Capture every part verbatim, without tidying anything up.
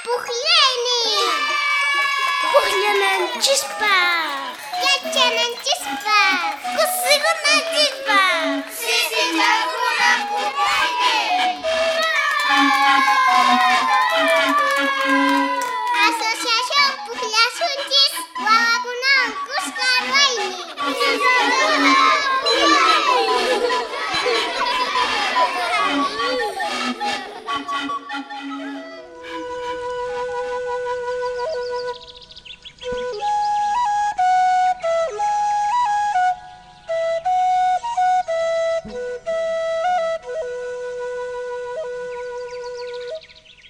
Pujllaynin. Pujllananchispaq. Yachananchispaq. Kusikunanchispaq. Sisichakuna pujllaynin. Asociación Pujllasunchis wawakunawan kuska ruwaynin.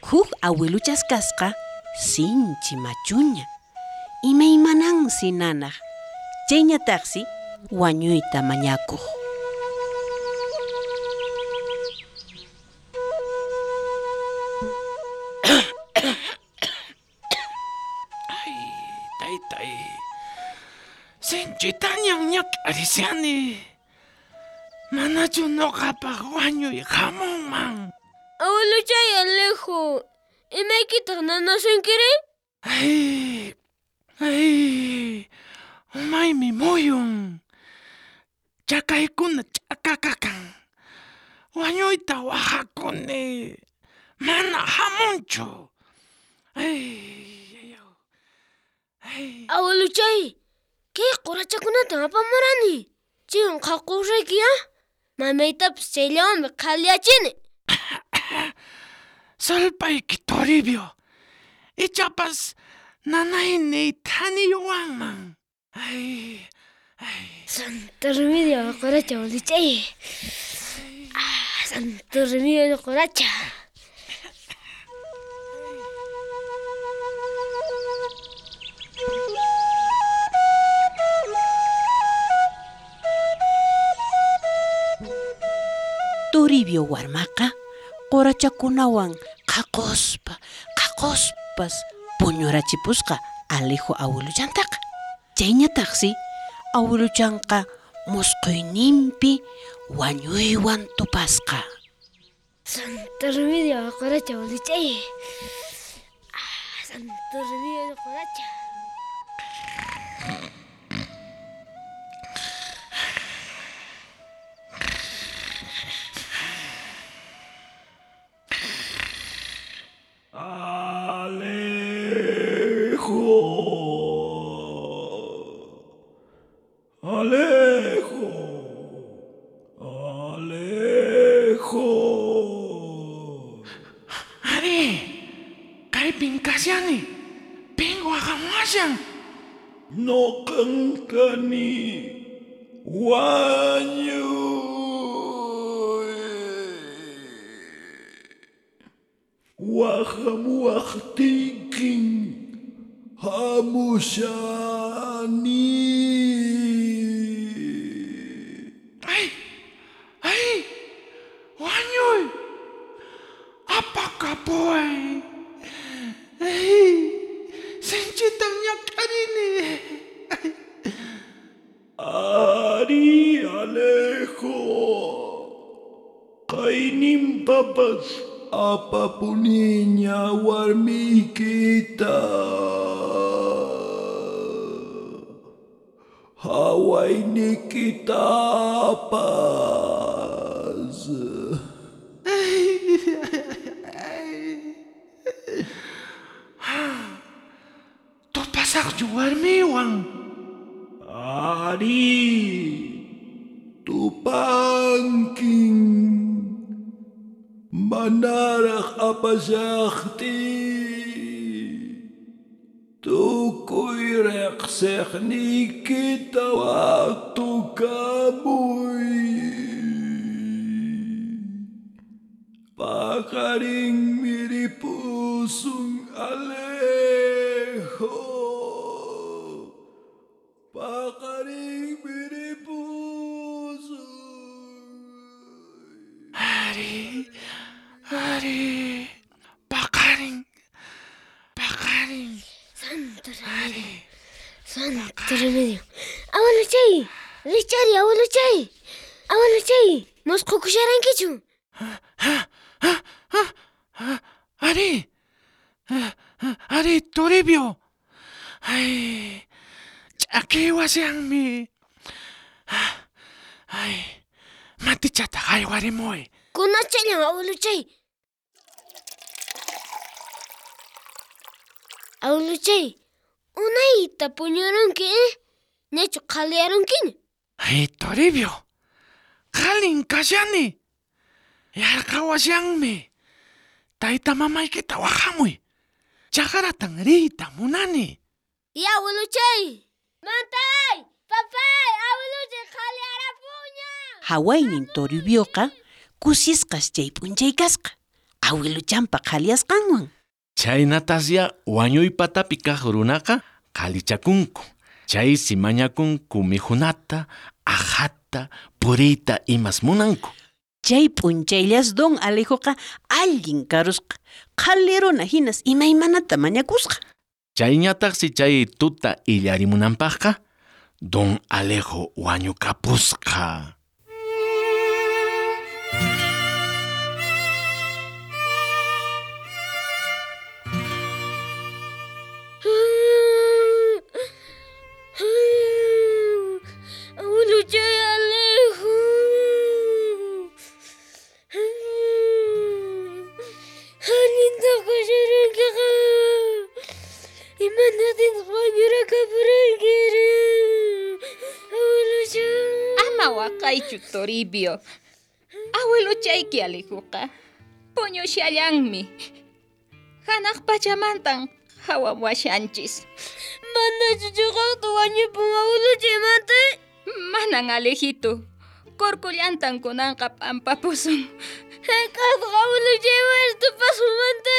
Huk awiluchas kasqa sinchi machuña, imaymanansi nanaq, chayñataqsi wañuyta mañakuq. Ay, taytay, sinchitañan ñak'arishani. Manachu nuqapaq wañuy hamunman? Abueluchay Alejo, imaykitaq nanasunkiri? Ay, ay, umaymi muyun. Chakaykuna ch'akakakan. Wañuyta waqakuni. Mana hamunchu. Ay, ay, ay. Abueluchay, kay qurachakunatan apamurani. Chaywan qhaqusayki, ah? Mamaytapas chayllawanmi qhaliyachini. Sulpayki Toribio, ichapas nanayniy thaniyuwanman. Ay, ay. Santo Remedio quracha, abueluchay. Ah, Santo Remedio quracha. Toribio warmaqa qurachakunawan qhaquspa, qhaquspas puñurachipusqa Alejo awiluchantaqa. Chayñataqsi awiluchanqa musquyninpi wañuywan tupasqa. Santo Remedio quracha, abueluchay. Ah, Santo Remedio quracha. Alejo, Alejo, Alejo. Ari, kaypin kashani, pin waqamuwashan. Noqan kani wañuy. Waqamuwaqtiykin hamushani. Ay, ay, wañuy. Apakapuway. Ay, sinchitan ñak'arini. Ari, Alejo, kayninpapas apapuniña warmiykita. Hawaynikitapas. Tupasaqchu warmiwan? Ari, tupankin. Manaraq apashaqtiy. Tukuy riqsiqniykita watukamuy. Paqarinmi ripusun, Alejo. Paqarinmi ripusun. Ari, ari, paqarin, paqarin. Santo Remedio. Santo Remedio. Abueluchay, richari, abueluchay. Abueluchay, musqhukusharankichu? Ari, Ari, Toribio. Ay, ch'akiwashanmi. Ay, matichata haywarimuy. Kunachallan, abueluchay. Abueluchay, unayta puñurunki, eh? Ñachu qhaliyarunkiña? Ay, Toribio, qalin kashani. Yarqawashanmi. Tayta mamaykita wahamuy. Chakratan riyta munani. Ya, abueluchay. Mantay, papay, abueluchay qhaliyarapuña. Hawaynin Toribioqa kusisqas chay p'unchay kasqa. Abueluchanpa qhaliyasqanwan. Chaynatasya wañuypatapi kaq runaqa qhalichakunku. Chaysi mañakunku mikhunata, aqhata, puriyta imas munanku. Chay p'unchayllas don Alejoqa allin karusqa. Qhali runa hinas imaymanata mañakusqa. Chayñataqsi chay tuta illarimunanpaqqa don Alejo wañukapusqa. Abueluchay Alejo. Allinta kasharankiqa. Imanaqtintaq wañurakapurankirí? Abueluchay. Ama waqaychu, Toribio. Abueluchayki Alejoqa puñushallanmi. Hanaq pachamantan hawamuashanchis. Manachu chiqaqta wañupun abueluchaymanta? Manan, Alejito. Kurkullantan kunanqa p'ampapusun. Hayk'aqtaq abueluchaywan tupasunmanta?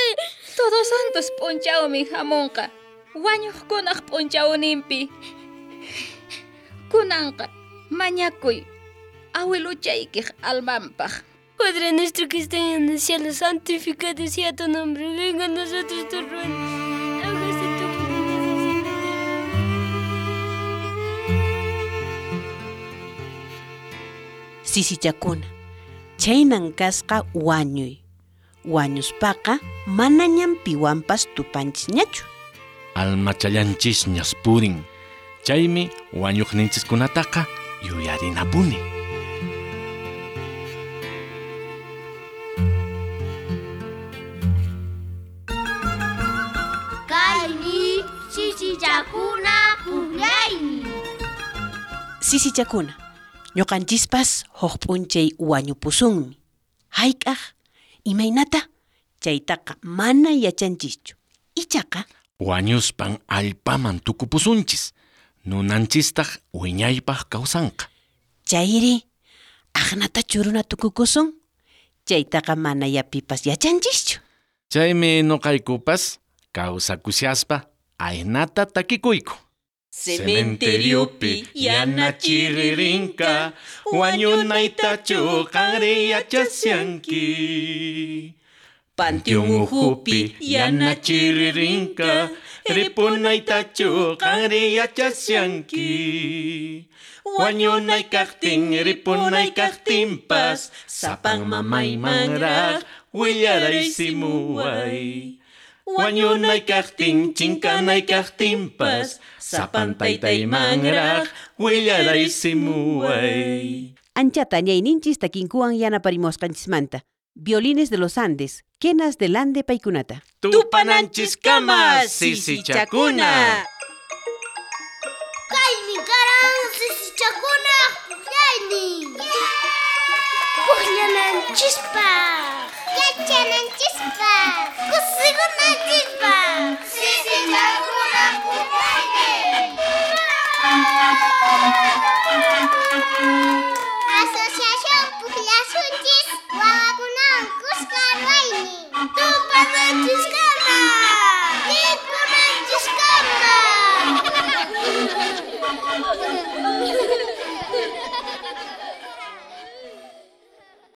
Todos Santos p'unchawmi hamunqa. Wañuqkunaq p'unchawninpi. Kunanqa mañakuy abueluchaykiq almanpaq. Padre nuestro que estás en el cielo, santificado sea tu nombre. Venga a nosotros tu reino. Hágase tu voluntad así en la tierra. Sisichakuna, chaynan kasqa wañuy. Wañuspaqa manañam piwanpas tupanchisñachu. Almachallanchisñas purin. Chaymi wañuqninchiskunataqa yuyarinapuni. Kaymi sisichakuna pukllaymi. Sisichakuna, ñuqanchispas huk p'unchay wañupusunmi. Hayk'aq, imaynata, chaytaqa mana yachanchischu. Ichaqa Wañuspan allpaman tukupusunchis. Nunanchistaq wiñaypaq kawsanqa. Chayri, aqnatachu runa tukukusun? Chaytaqa mana yapipas yachanchischu. Chaymi nuqaykupas kawsakushaspa aynata takikuyku. Cementeriopi yana chiririnka, wañunaytachu qanri yachasyanki. Panteón uhupi yana chiririnka, ripunaytachu qanri yachasyanki. Wañunay kaqtin ripunay kaqtinpas, sapan mamaymanraq willaraysimuway. Wañunay kaqtin chinkanay kaqtinpas, sapan taytaymanraq willaraysimuway. Anchata ñayninchis takinkuwan yanaparimusqanchismanta. Violines de los Andes, quenas del Ande paykunata. Tupananchiskama, sisichakuna. Kaymi karan sisichakuna pukllaynin. Pukllananchispaq, yachananchispaq, kusikunanchispaq.